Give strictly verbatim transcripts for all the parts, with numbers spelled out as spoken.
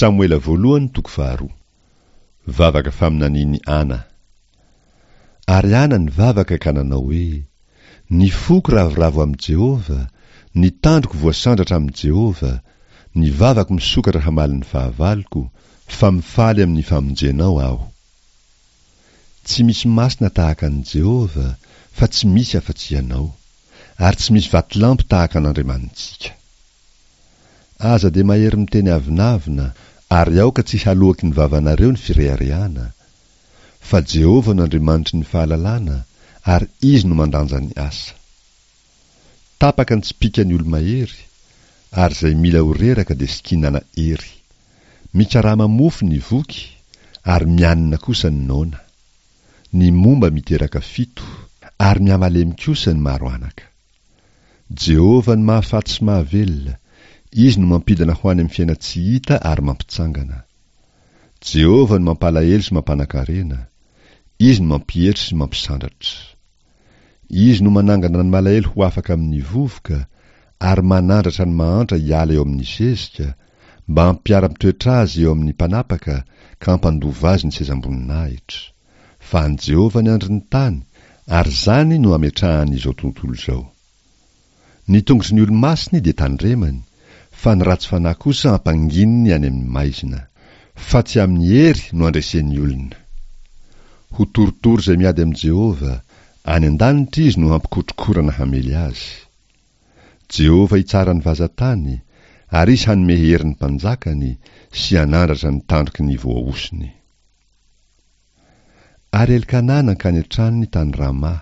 Samoela voalohany toko faharoa. Vavaka faminanian'i Ana. Ary Ana nivavaka ka nanao hoe, Ny foko ravoravo amin'i Jehovah, ny tandroko voasandratra amin'i Jehovah, ny vavako misokatra hamaly ny fahavaloko, fa mifaly amin'ny famonjenao aho. Tsy misy masina tahaka an'i Jehovah, fa tsy misy afa-tsy Ianao, ary tsy misy vatolampy tahaka an'Andriamanitsika. Aza dia mahery miteny avonavona, ary aoka tsy haloaky ny vavanareo ny fireharehana. Fa Jehovah no Andriamanitry ny fahalalana, ary Izy no mandanja ny asa. Tapaka ny tsipìkan'ny olo-mahery, ary izay mila ho reraka dia sikinana hery. Mikarama mofo ny voky, ary mianina kosa ny noana. Ny momba miteraka fito, ary mihamalemy kosa ny maro anaka. Jehovah no mahafaty sy mahavelona, Izy no mampidina ho any amin'ny fiainan-tsy hita ary mampitsangana. Jehovah no mampalahelo sy mampanan-karena, Izy no mampietry sy mampisandratra. Izy no manangana ny malahelo ho afaka amin'ny vovoka, ary manandratra ny mahantra hiala eo amin'ny zezika, mba hampiara-mitoetra azy eo amin'ny mpanapaka ka hampandova azy ny sezam-boninahitra. Fa an'i Jehovah ny andrin'ny tany, ary izany no ametrahany izao tontolo izao. Ny tongotry ny olo-masiny dia tandremany, fa ny ratsy fanahy kosa ampangininy any amin'ny maizina. Fa tsy amin'ny hery no andresen'ny olona. Ho torotoro izay miady amin'i Jehovah, any an-danitra izy no hampikotrokorana hamely azy. Jehovah hitsara ny vazan-tany, ary izy hanome hery ny mpanjakany sy hanandratra ny tandroky ny voahosony. Ary Elkana nankany an-tranony tany Rama,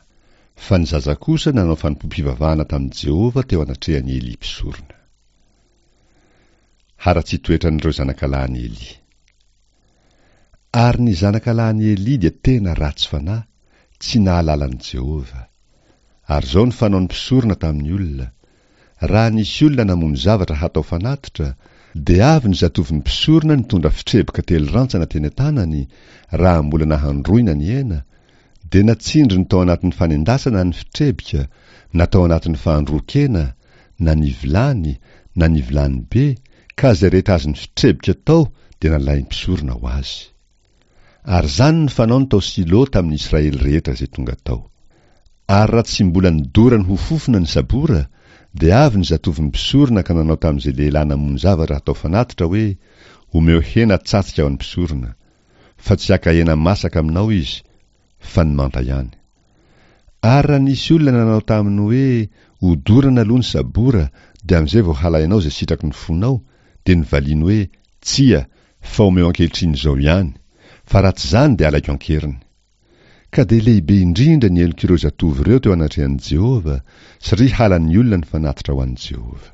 fa ny zaza kosa nanao fanompoam-pivavahana tamin'i Jehovah teo anatrehan'i Elia mpisorona. Haratsian-toetran'ireo zanakalahin'i Elia. Ary ny zanakalahin'i Elia dia tena ratsy fanahy, tsy nahalala an'i Jehovah. Ary izao no fanaon'ny mpisorona tamin'ny olona, Raha nisy olona namono zavatra hatao fanatitra, dia avy ny zatovon'ny mpisorona nitondra fitreboka telo rantsana teny an-tanany, raha mbola nahandroina ny hena, dia natsindriny tao anatin'ny fanendasana ny fitrebika, na tao anatin'ny fahandroan-kena, na ny vilany, na ny vilany be, ka izay rehetra azon'ny fitrebika tao dia nalain'ny mpisorona ho azy. Ary izany no fanaony tao Silo tamin'ny Israely rehetra izay tonga tao. Ary raha tsy mbola nidorany ho fofona ny sabora, dia avy ny zatovon'ny mpisorona ka nanao tamin'izay lehilahy namono zavatra hatao fanatitra hoe, Omeo hena tsatsika ho an'ny mpisorona. Fa tsy haka hena masaka aminao izy, fa ny manta ihany. Ary raha nisy olona nanao taminy hoe, Odorana aloha ny sabora, dia amin'izay vao halainao izay sitraky ny fonao, dia novaliany hoe, Tsia, fa omeo ankehitriny izao ihany, fa raha tsy izany dia alaiko an-keriny. Ka dia lehibe indrindra ny helok'ireo zatovo ireo teo anatrehan'i Jehovah, satria halan'ny olona ny fanatitra ho an'i Jehovah.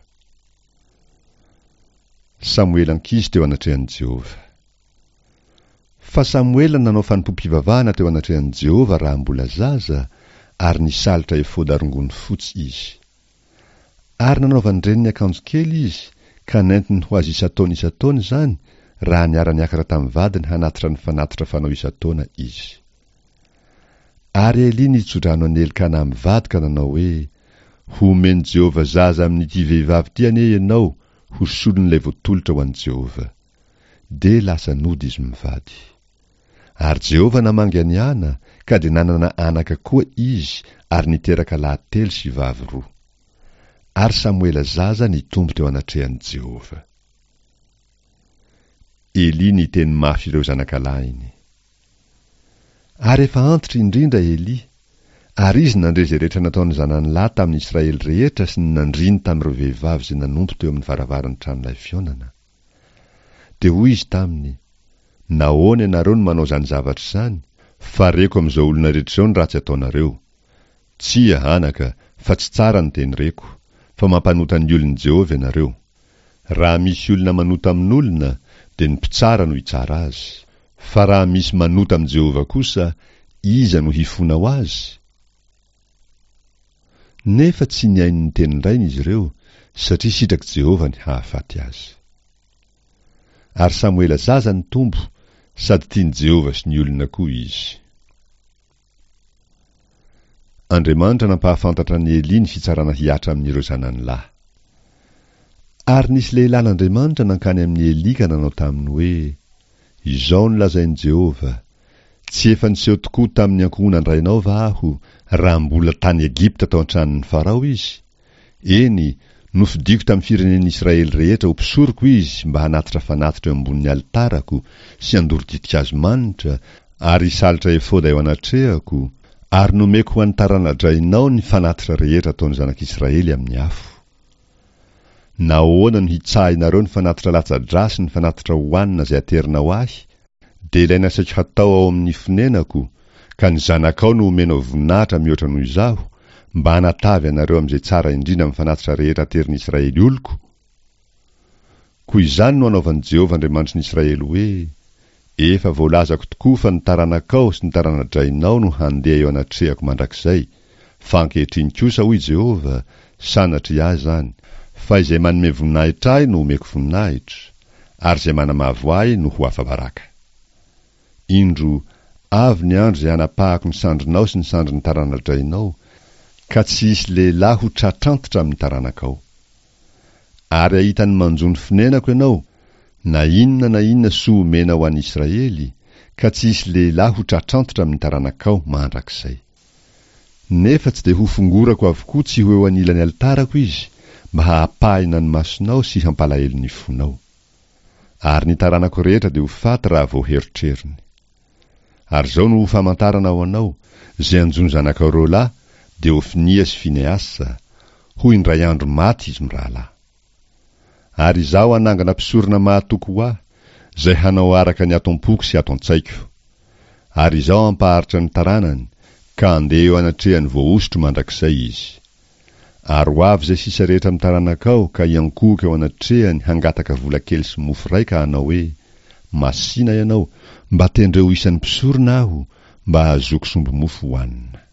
Samoela ankizy teo anatrehan'i Jehovah. Fa Samoela nanao fanompoam-pivavahana teo anatrehan'i Jehovah raha mbola zaza, ary nisalotra efoda rongony fotsy izy. Ary nanaovan-dreniny akanjo kely izy, ka nentiny ho azy isan-taona isan-taona izany, raha niara-niakatra tamin'ny vadiny hanatitra ny fanatitra fanao isan-taona izy. Ary Elia nitso-drano an'i Elkana mivady ka nanao hoe, Homen'i Jehovah zaza amin'ity vehivavy ity anie ianao ho solon'ilay voatolotra ho an'i Jehovah. Dia lasa nody izy mivady. Ary Jehovah namangy an'i Ana, ka dia nanana anaka koa izy ary niteraka lahy telo sy vavy roa. Ary Samoela zaza nitombo teo anatrehan'i Jehovah. Elia niteny mafy ireo zanakalahiny. Ary efa antitra indrindra Elia, ary izy nandre izay rehetra nataon'ny zanany lahy tamin'ny Israely rehetra sy ny nandriny tamin'ireo vehivavy izay nanompo teo amin'ny varavaran'ny tranolay fihaonana. Dia hoy izy taminy, Nahoana ianareo no manao izany zavatra izany, fa reko amin'izao olona rehetra izao ny ratsy ataonareo. Tsia, anaka, fa tsy tsara ny teny reko, fa mampanota ny olon'i Jehovah ianareo. Raha misy olona manota amin'olona, dia ny mpitsara no hitsara azy. Fa raha misy manota amin'i Jehovah kosa, iza no hifona ho azy? Nefa tsy nihaino ny tenin-drainy izy ireo, satria sitrak'i Jehovah ny hahafaty azy. Ary Samoela zaza nitombo, sady tian'i Jehovah sy ny olona koa izy. Andriamanitra nampahafantatra an'i Elia ny fitsarana hihatra amin'ireo zanany lahy. Ary nisy lehilahin'Andriamanitra nankany amin'i Elia ka nanao taminy hoe, Izao no lazain'i Jehovah, Tsy efa niseho tokoa tamin'ny ankohonan-drainao va aho, raha mbola tany Egypta tao an-tranon'i Farao izy? Eny, nofidiko tamin'ny firenen'Israely rehetra ho mpisoroko izy mba hanatitra fanatitra eo ambonin'ny alitarako sy handoro ditin-kazo manitra ary hisalotra efoda eo anatrehako, ary nomeko ho an'ny tarana-drainao ny fanatitra rehetra ataon'ny zanak'Israely amin'ny afo. Nahoana no hitsahinareo ny fanatitra latsa-drà sy ny fanatitra hohanina izay aterinao ahy, dia ilay nasaiko hatao ao amin'ny fonenako, ka ny zanakao no omenao voninahitra mihoatra noho izaho, mba hanatavy anareo amin'izay tsara indrindra amin'ny fanatitra rehetra aterin'Israely oloko? Koa izany no anaovan'i Jehovah Andriamanitry ny Israely hoe, Efa voalazako tokoa fa ny taranakao sy ny tarana-drainao no handeha eo anatrehako mandrakizay, fa ankehitriny kosa, hoy Jehovah, sanatria ahy izany, fa izay manome voninahitra ahy no omeko voninahitra, ary izay manamavo ahy no ho afa-baraka. Indro, avy ny andro izay hanapahako ny sandrinao sy ny sandrin'ny tarana-drainao, ka tsy hisy lehilahy ho tratrantitra amin'ny taranakao. Ary hahita ny manjo ny fonenako ianao, na inona na inona soa omena ho an'ny Israely, ka tsy hisy lehilahy ho tratrantitra amin'ny taranakao mandrakizay. Nefa tsy dia hofongorako avokoa tsy ho eo anilan'ny alitarako izy, mba hahapahina ny masonao sy hampalahelo ny fonao. Ary ny taranako rehetra dia ho faty raha vao herotrerony. Ary izao no ho famantarana ho anao, izay hanjo ny zanakao roa lahy, dia Hofinia sy Fineasa, ho indray andro maty izy mirahalahy. Ary Izaho hanangana mpisorona mahatoky ho Ahy, izay hanao araka ny ato am-poko sy ato an-tsaiko. Ary Izaho hampaharitra ny taranany, ka handeha eo anatrehan'ny voahosotro mandrakizay izy. Ary ho avy izay sisa rehetra amin'ny taranakao ka hiankohoka eo anatrehany hangataka vola kely sy mofo iray ka hanao hoe, Masìna ianao, mba tendreo ho isan'ny mpisorona aho, mba hahazoako sombi-mofo hohanina.